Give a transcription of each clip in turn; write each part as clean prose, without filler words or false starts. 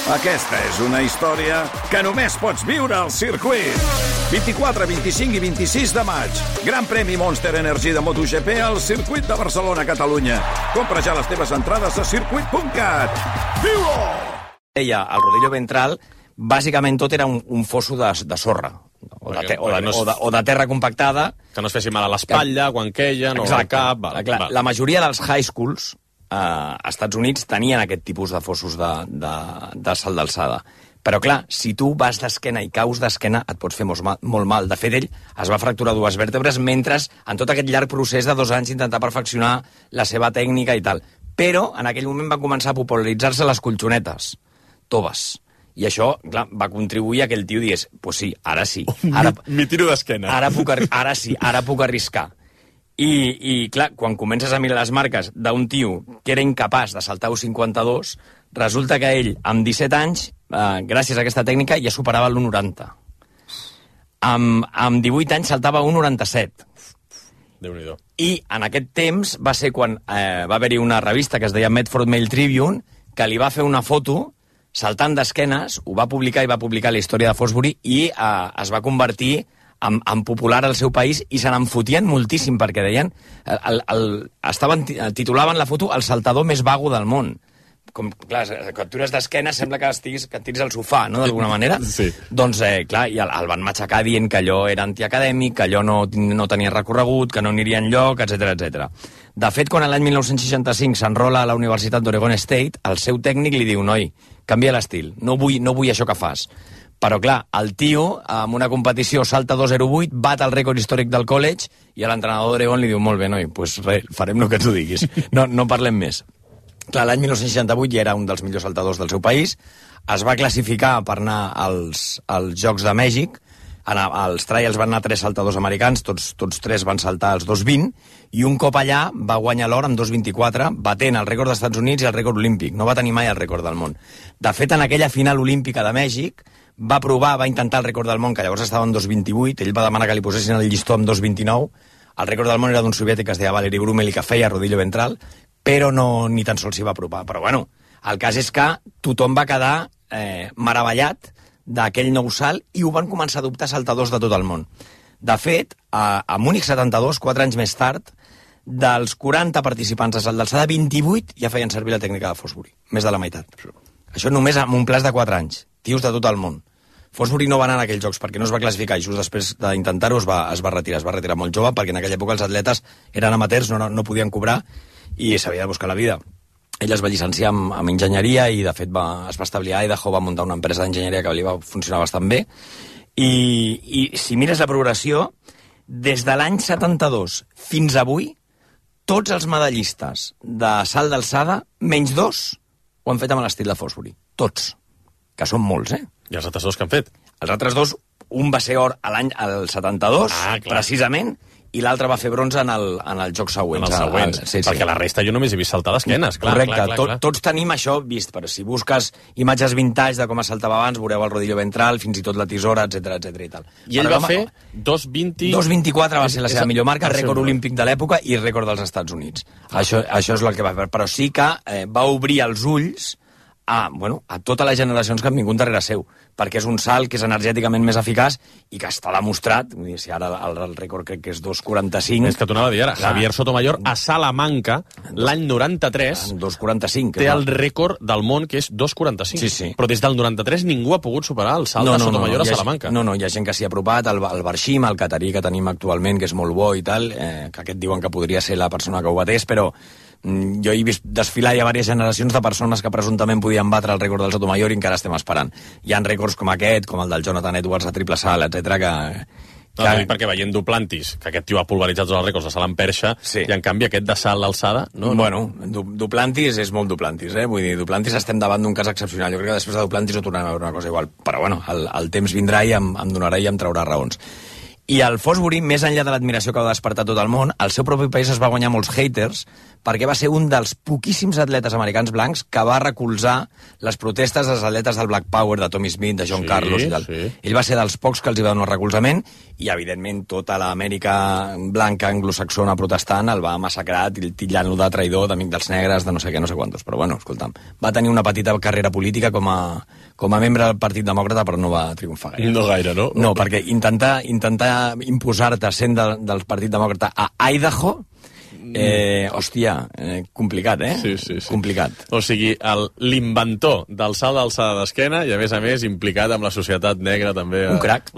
Aquesta és una història que només pots viure al circuit. 24, 25 i 26 de maig. Gran premi Monster Energy de MotoGP al circuit de Barcelona, Catalunya. Compra ja les teves entrades a circuit.cat. Viu-ho! Deia, el rodillo ventral, bàsicament tot era un fosso de sorra. O de terra compactada. Que no es fessi mal a l'espatlla, quan queien, o al cap... La majoria dels high schools als Estats Units tenien aquest tipus de fossos de salt d'alçada. Però, clar, si tu vas d'esquena i caus d'esquena, et pots fer molt mal. De fet, ell es va fracturar 2 vèrtebres mentre, en tot aquest llarg procés de 2 anys, intentar perfeccionar la seva tècnica i tal. Però, en aquell moment van començar a popularitzar-se les colxonetes toves. I això, clar, va contribuir a que el tio digués, pues sí, ara sí. Mi tiro d'esquena. Ara puc arriscar. I, clar, quan comences a mirar les marques d'un tio que era incapaç de saltar 1,52, resulta que ell, amb 17 anys, gràcies a aquesta tècnica, ja superava l'1,90. Amb 18 anys saltava 1,97. Déu-n'hi-do. I en aquest temps va ser quan va haver-hi una revista que es deia Medford Mail Tribune, que li va fer una foto saltant d'esquenes, ho va publicar i va publicar la història de Fosbury i es va convertir en popular al seu país i se n'en fotien moltíssim perquè deien titulaven la foto el saltador més vago del món. Com, clar, quan tu eres d'esquena sembla que et tiris al sofà, no?, d'alguna manera. Sí. Doncs, clar, i el van matxacar dient que allò era antiacadèmic, que allò no tenia recorregut, que no aniria enlloc, etc. De fet, quan l'any 1965 s'enrola a la Universitat d'Oregon State, el seu tècnic li diu, noi, canvia l'estil, no vull això que fas. Però, clar, el tio, en una competició, salta 2,08, bat el rècord històric del college, i l'entrenador d'Oregon li diu, molt bé, noi, doncs res, farem el que tu diguis. No parlem més. Clar, l'any 1968 ja era un dels millors saltadors del seu país, es va classificar per anar als Jocs de Mèxic, als trials van anar 3 saltadors americans, tots 3 van saltar als 2,20, i un cop allà va guanyar l'or amb 2,24, batent el rècord dels Estats Units i el rècord olímpic. No va tenir mai el rècord del món. De fet, en aquella final olímpica de Mèxic, va intentar el rècord del món, que llavors estava en 2,28, ell va demanar que li posessin el llistó amb 2,29, el rècord del món era d'un soviètic que es deia Valery Brumel i que feia rodillo ventral, però ni tan sols s'hi va apropar. Però bueno, el cas és que tothom va quedar meravellat d'aquell nou salt i ho van començar a adoptar saltadors de tot el món. De fet, a Múnich 72, 4 anys més tard, dels 40 participants de salt d'alçada, 28 ja feien servir la tècnica de Fosbury, més de la meitat. Això només amb un plaç de 4 anys, tios de tot el món. Fosbury no va anar a aquells jocs perquè no es va classificar i just després d'intentar-ho es va retirar molt jove perquè en aquella època els atletes eren amateurs, no podien cobrar i s'havia de buscar la vida. Ell es va llicenciar en enginyeria i de fet es va establir a Idaho, va muntar una empresa d'enginyeria que li va funcionar bastant bé i si mires la progressió, des de l'any 72 fins avui, tots els medallistes de salt d'alçada, menys 2, ho han fet amb l'estil de Fosbury. Tots. Que són molts, I els altres 2 que han fet? Els altres 2, un va ser or al 72, precisament, i l'altre va fer bronze en els jocs següents. En els següents, perquè la resta jo només he vist saltar d'esquenes. Correcte, tots tenim això vist, però si busques imatges vintage de com es saltava abans, veureu el rodillo ventral, fins i tot la tisora, etc i tal. I ell va fer 2,20... 2,24 va ser la seva millor marca, rècord olímpic de l'època i rècord dels Estats Units. Això és el que va fer, però sí que va obrir els ulls a totes les generacions que han vingut darrere seu, perquè és un salt que és energèticament més eficaç i que està demostrat, si ara el rècord crec que és 2,45... És que t'ho anava a dir ara, Javier Sotomayor a Salamanca, l'any 93, 2,45 té el rècord del món, que és 2,45. Sí. Però des del 93 ningú ha pogut superar el salt de Sotomayor a Salamanca. No, hi ha gent que s'hi ha apropat, el Barshim, el catarí que tenim actualment, que és molt bo i tal, que aquest diuen que podria ser la persona que ho batés, però jo he vist desfilar ja diverses generacions de persones que presumptament podien batre el rècord del Sotomayor i encara estem esperant. Hi ha rècords com aquest, com el del Jonathan Edwards a triple salt, etc perquè veient Duplantis, que aquest tio ha pulveritzat tots els rècords de salt en perxa, i en canvi aquest de salt d'alçada... Bueno, Duplantis és molt Duplantis, vull dir, Duplantis estem davant d'un cas excepcional. Jo crec que després de Duplantis no tornarem a veure una cosa igual, però bueno, el temps vindrà i em donarà i em traurà raons. I el Fosbury, més enllà de l'admiració que va despertar tot el món, al seu propi país es va guanyar molts haters perquè va ser un dels poquíssims atletes americans blancs que va recolzar les protestes dels atletes del Black Power, de Tommy Smith, de John Carlos i tal. Ell va ser dels pocs que els hi va donar recolzament i, evidentment, tota l'Amèrica blanca anglosaxona protestant el va massacrar, titllant-lo de traïdor, d'amic dels negres, de no sé què, no sé quantos. Però, bueno, escolta'm, va tenir una petita carrera política com a membre del Partit Demòcrata, però no va triomfar gaire. No gaire, no? No, perquè intentar imposar-te sent del Partit Demòcrata a Idaho, complicat, Sí. Complicat. O sigui, l'inventor del salt d'alçada d'esquena i, a més, implicat amb la societat negra també. Un crac.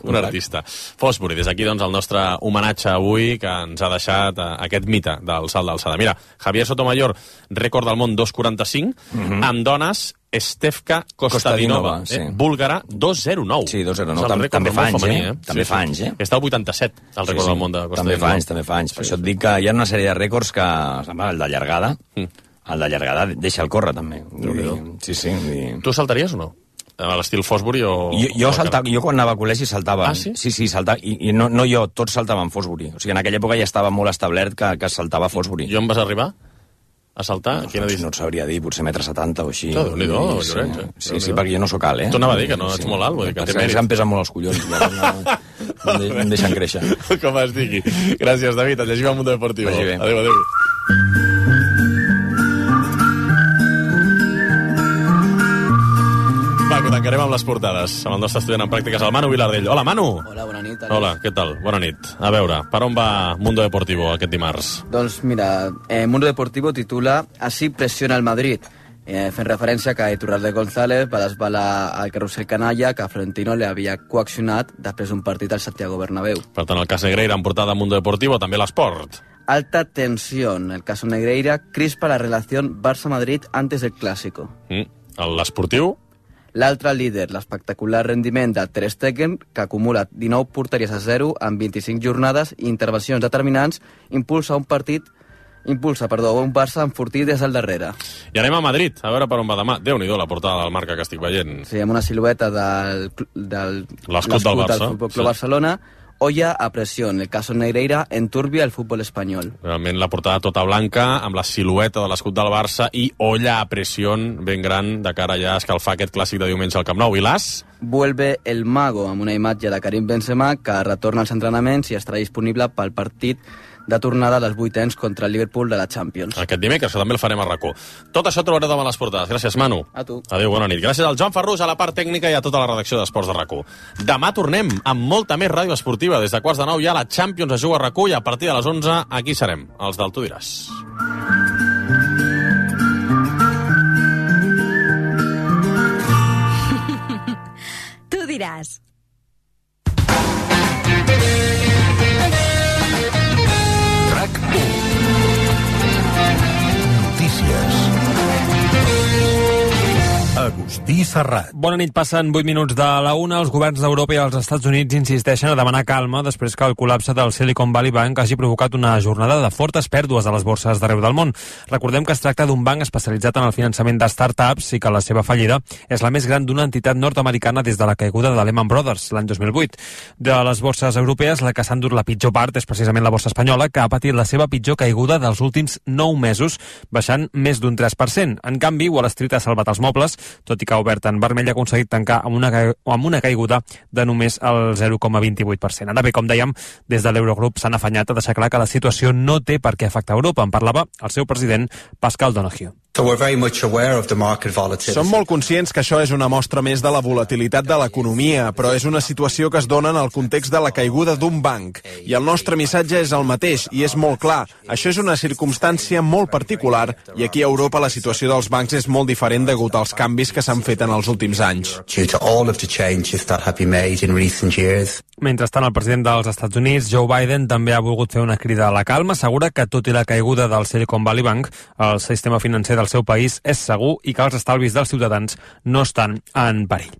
Un artista. Fosbury, des d'aquí, doncs, el nostre homenatge avui que ens ha deixat aquest mite del salt d'alçada. Mira, Javier Sotomayor, rècord del món 2.45, amb dones, Stefka Kostadinova, búlgara, 2.09. Sí, 2.09. També fa anys, També fa anys, Està al 87, el rècord del món de Kostadinova. També fa anys. Per això et dic que hi ha una sèrie de rècords que... El de llargada. El de llargada deixa el córrer, també. Sí. Tu saltaries o no? A l'estil Fosbury o... Jo quan anava a col·legi saltava. Ah, sí? Sí, saltava. I no jo, tots saltaven Fosbury. O sigui, en aquella època ja estava molt establert que saltava Fosbury. I on vas arribar? A saltar? No et sabria dir, potser 1,70 m o així. Déu-n'hi-do, Llorenç. Sí, perquè jo no sóc alt, T'ho anava a dir, que no ets molt alt, vull dir que té mèrit. Em pesen molt els collons, em deixen créixer. Com es digui. Gràcies, David, et llegim al Mundo Deportivo. Adéu. Va, que tancarem amb les portades, amb el nostre estudiant en pràctiques, el Manu Vilardell. Hola, Manu! Hola, bona nit. Hola, què tal? Bona nit. A veure, per on va Mundo Deportivo aquest dimarts? Doncs mira, Mundo Deportivo titula Así presiona el Madrid, fent referència que Iturralde González va desvelar al carrusel canalla que Florentino li havia coaccionat després d'un partit al Santiago Bernabéu. Per tant, el cas Negreira en portada Mundo Deportivo, també l'esport. Alta tensión. El caso Negreira crispa la relación Barça-Madrid antes del Clásico. L'esportiu? L'altre líder, l'espectacular rendiment de Ter Stegen, que acumula 19 porteries a 0 en 25 jornades i intervencions determinants, impulsa un Barça enfortit des del darrere. I anem a Madrid, a veure per on va demà. Déu-n'hi-do la portada del Marca que estic veient. Sí, amb una silueta del l'escut del Barça. Del Futbol Club Barcelona. Olla a presión. El caso Negreira enturbia el fútbol espanyol. Realment la portada tota blanca, amb la silueta de l'escut del Barça i olla a presión ben gran de cara ja a escalfar aquest clàssic de diumenge al Camp Nou. I l'As? Vuelve el mago, amb una imatge de Karim Benzema que retorna als entrenaments i estarà disponible pel partit de tornada a les vuitens contra el Liverpool de la Champions. Aquest dimecres, que també el farem a RAC1. Tot això trobareu demà a les portades. Gràcies, Manu. A tu. Adéu, bona nit. Gràcies al Joan Ferrús, a la part tècnica i a tota la redacció d'Esports de RAC1. Demà tornem amb molta més ràdio esportiva. Des de 8:45 ja la Champions es juga a RAC1 i a partir de les 11 aquí serem, els del Tu diràs. Tu diràs. Agustí Serrat. Bona nit, passen 8 minuts de la 1. Els governs d'Europa i els Estats Units insisteixen a demanar calma després que el col·lapse del Silicon Valley Bank hagi provocat una jornada de fortes pèrdues a les borses d'arreu del món. Recordem que es tracta d'un banc especialitzat en el finançament de start-ups i que la seva fallida és la més gran d'una entitat nord-americana des de la caiguda de Lehman Brothers l'any 2008. De les borses europees, la que s'ha endut la pitjor part és precisament la borsa espanyola, que ha patit la seva pitjor caiguda dels últims 9 mesos, baixant més d'un 3%. En canvi, Wall Street ha salvat els mobles, tot i que ha obert en vermell, ha aconseguit tancar amb una caiguda de només el 0,28%. Ara bé, com dèiem, des de l'Eurogrup s'han afanyat a deixar clar que la situació no té per què afectar Europa. En parlava el seu president, Pascal Donoghue. Som molt conscients que això és una mostra més de la volatilitat de l'economia, però és una situació que es dona en el context de la caiguda d'un banc. I el nostre missatge és el mateix, i és molt clar. Això és una circumstància molt particular, i aquí a Europa la situació dels bancs és molt diferent degut als canvis que s'han fet en els últims anys. Mentrestant, el president dels Estats Units, Joe Biden, també ha volgut fer una crida a la calma. Assegura que, tot i la caiguda del Silicon Valley Bank, el sistema financer del seu país és segur i que els estalvis dels ciutadans no estan en perill.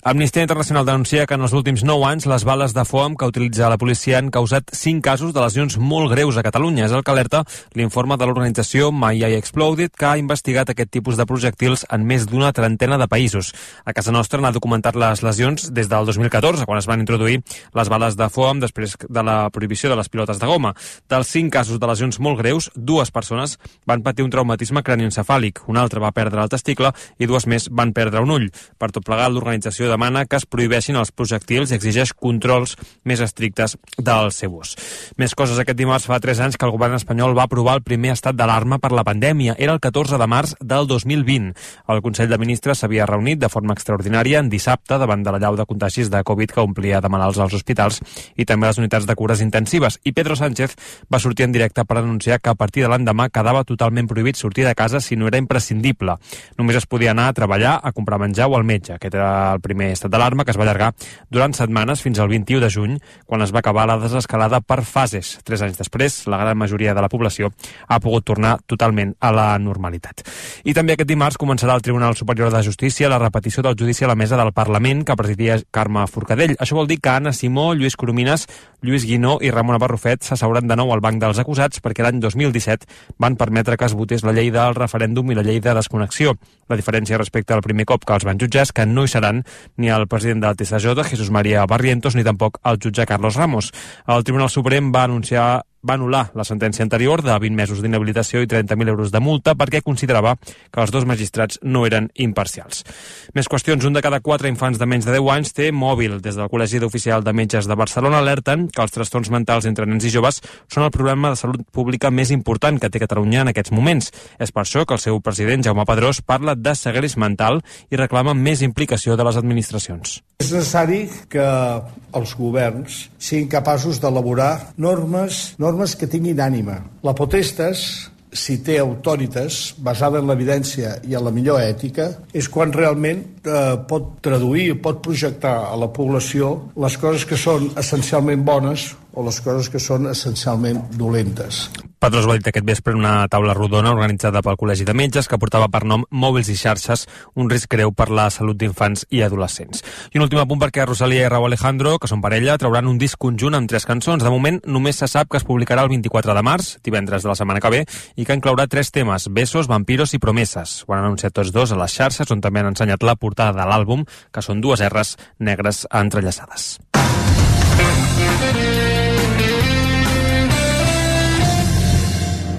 Amnistia Internacional denuncia que en els últims 9 anys les bales de foam que utilitza la policia han causat 5 casos de lesions molt greus a Catalunya. És el que alerta l'informe de l'organització My Eye Exploded, que ha investigat aquest tipus de projectils en més d'una trentena de països. A casa nostra n'ha documentat les lesions des del 2014, quan es van introduir les bales de foam després de la prohibició de les pilotes de goma. Dels 5 casos de lesions molt greus, 2 persones van patir un traumatisme cranioencefàlic, un altre va perdre el testicle i 2 més van perdre un ull. Per tot plegat, l'organització demana que es prohibeixin els projectils i exigeix controls més estrictes del seu ús. Més coses. Aquest dimarts fa 3 anys que el govern espanyol va aprovar el primer estat d'alarma per la pandèmia. Era el 14 de març del 2020. El Consell de Ministres s'havia reunit de forma extraordinària en dissabte davant de la llau de contagis de Covid que omplia de malalts als hospitals i també les unitats de cures intensives. I Pedro Sánchez va sortir en directe per anunciar que a partir de l'endemà quedava totalment prohibit sortir de casa si no era imprescindible. Només es podia anar a treballar, a comprar menjar o al metge. Aquest era el primer estat d'alarma que es va allargar durant setmanes fins al 21 de juny, quan es va acabar la desescalada per fases. 3 anys després, la gran majoria de la població ha pogut tornar totalment a la normalitat. I també aquest dimarts començarà al Tribunal Superior de Justícia la repetició del judici a la mesa del Parlament que presidia Carme Forcadell. Això vol dir que Anna Simó, Lluís Coromines, Lluís Guinó i Ramona Barrufet s'asseuran de nou al banc dels acusats perquè l'any 2017 van permetre que es votés la llei del referèndum i la llei de desconnexió. La diferència respecte al primer cop que els van jutjar és que no hi seran ni el president del TSJ, Jesús María Barrientos, ni tampoc el jutge Carlos Ramos. El Tribunal Suprem va anul·lar la sentència anterior de 20 mesos d'inhabilitació i 30.000 euros de multa perquè considerava que els 2 magistrats no eren imparcials. Més qüestions. 1 de cada 4 infants de menys de 10 anys té mòbil. Des del Col·legi d'Oficial de Metges de Barcelona alerten que els trastorns mentals entre nens i joves són el problema de salut pública més important que té Catalunya en aquests moments. És per això que el seu president, Jaume Padrós, parla de segrest mental i reclama més implicació de les administracions. És necessari que els governs siguin capaços d'elaborar normes que tinguin ànima. La potestas, si té autoritas basada en l'evidència i en la millor ètica, és quan realment pot traduir, pot projectar a la població les coses que són essencialment bones o les coses que són essencialment dolentes. Padrós va dir aquest vespre en una taula rodona organitzada pel Col·legi de Metges que portava per nom Mòbils i xarxes, un risc greu per la salut d'infants i adolescents. I un últim apunt perquè Rosalía i Raúl Alejandro, que són parella, trauran un disc conjunt amb 3 cançons. De moment només se sap que es publicarà el 24 de març, divendres de la setmana que ve, i que inclourà 3 temes: Besos, Vampiros i Promeses. Ho han anunciat tots 2 a les xarxes, on també han ensenyat la portada de l'àlbum, que són 2 R's negres entrellaçades.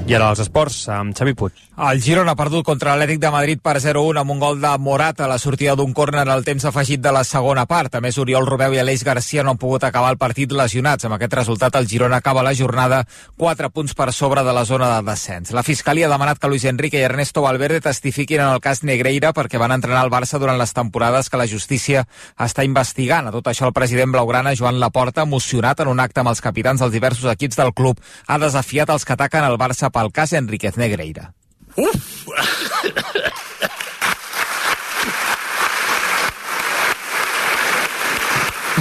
I ara els esports, amb Xavi Puig. El Girona ha perdut contra l'Atlètic de Madrid per 0-1 amb un gol de Morata a la sortida d'un córner al temps afegit de la segona part. A més, Oriol Romeu i Aleix Garcia no han pogut acabar el partit lesionats. Amb aquest resultat, el Girona acaba la jornada 4 punts per sobre de la zona de descens. La Fiscalia ha demanat que Luis Enrique i Ernesto Valverde testifiquin en el cas Negreira perquè van entrenar al Barça durant les temporades que la justícia està investigant. A tot això, el president blaugrana, Joan Laporta, emocionat en un acte amb els capitans dels diversos equips del club, ha desafiat els que ataquen el Barça pel cas Enríquez Negreira. Uf!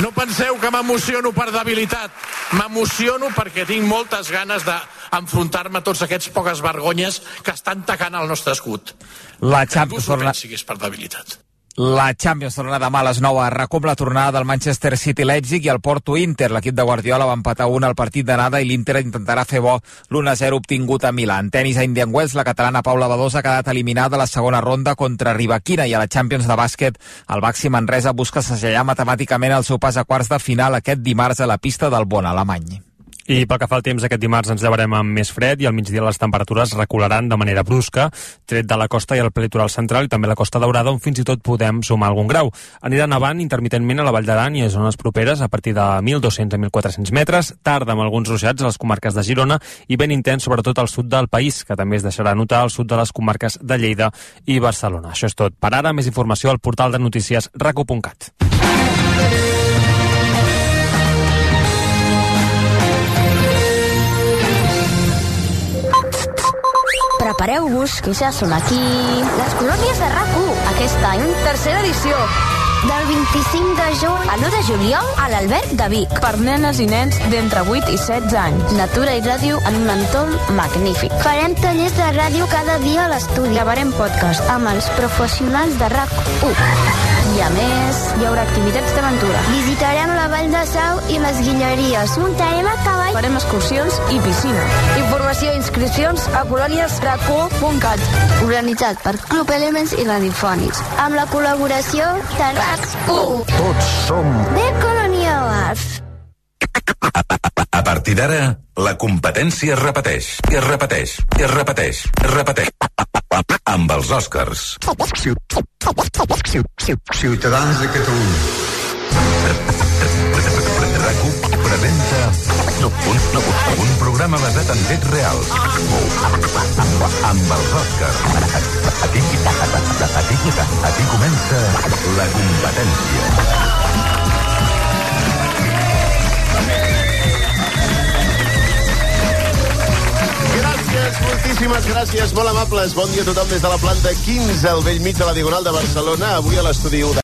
No penseu que m'emociono per debilitat. M'emociono perquè tinc moltes ganes d'enfrontar-me a tots aquests poques vergonyes que estan tacant el nostre escut. La Champions pensi que és per debilitat. La Champions torna demà a les 9 a RAC+, la tornada del Manchester City-Leipzig i el Porto-Inter. L'equip de Guardiola va empatar 1 al partit d'anada i l'Inter intentarà fer bo l'1-0 obtingut a Milà. En tenis a Indian Wells, la catalana Paula Badosa ha quedat eliminada a la segona ronda contra Rivaquina, i a la Champions de bàsquet el Baxi Manresa busca segellar matemàticament el seu pas a quarts de final aquest dimarts a la pista del Bonn, alemany. I pel que fa al temps, aquest dimarts ens llevarem amb més fred i al migdia les temperatures recularan de manera brusca, tret de la costa i el prelitoral central i també la Costa Daurada, on fins i tot podem sumar algun grau. Anirà nevant intermitentment a la Vall d'Aran i a zones properes a partir de 1.200 a 1.400 metres, tard amb alguns ruixats a les comarques de Girona i ben intens sobretot al sud del país, que també es deixarà notar al sud de les comarques de Lleida i Barcelona. Això és tot. Per ara, més informació al portal de notícies raco.cat. Prepareu-vos, que ja són aquí les colònies de RAC1. Aquest any, tercera edició. Del 25 de juny a l'1 de juliol a l'Alberg de Vic. Per nenes i nens d'entre 8 i 16 anys. Natura i ràdio en un entorn magnífic. Farem tallers de ràdio cada dia a l'estudi. Gravarem podcast amb els professionals de RAC1. I a més, hi haurà activitats d'aventura. Visitarem la Vall de Sau i les Guilleries. Muntarem a cavall. Farem excursions i piscina. Informació i inscripcions a coloniesrac1.cat. Organitzat per Club Elements i Radiofònics. Amb la col·laboració de RAC1. Tots som The Colonials. partir d'ara, la competència es repeteix, i es repeteix, i es repeteix, i es repeteix. Amb els Oscars. Ciutadans de Catalunya. RAC1 presenta un programa basat en fets reals. Amb els Oscars. Aquí comença la competència. Gràcies, moltíssimes gràcies, molt amables. Bon dia a tothom des de la planta 15, al bell mig de la Diagonal de Barcelona. Avui a l'estudi 1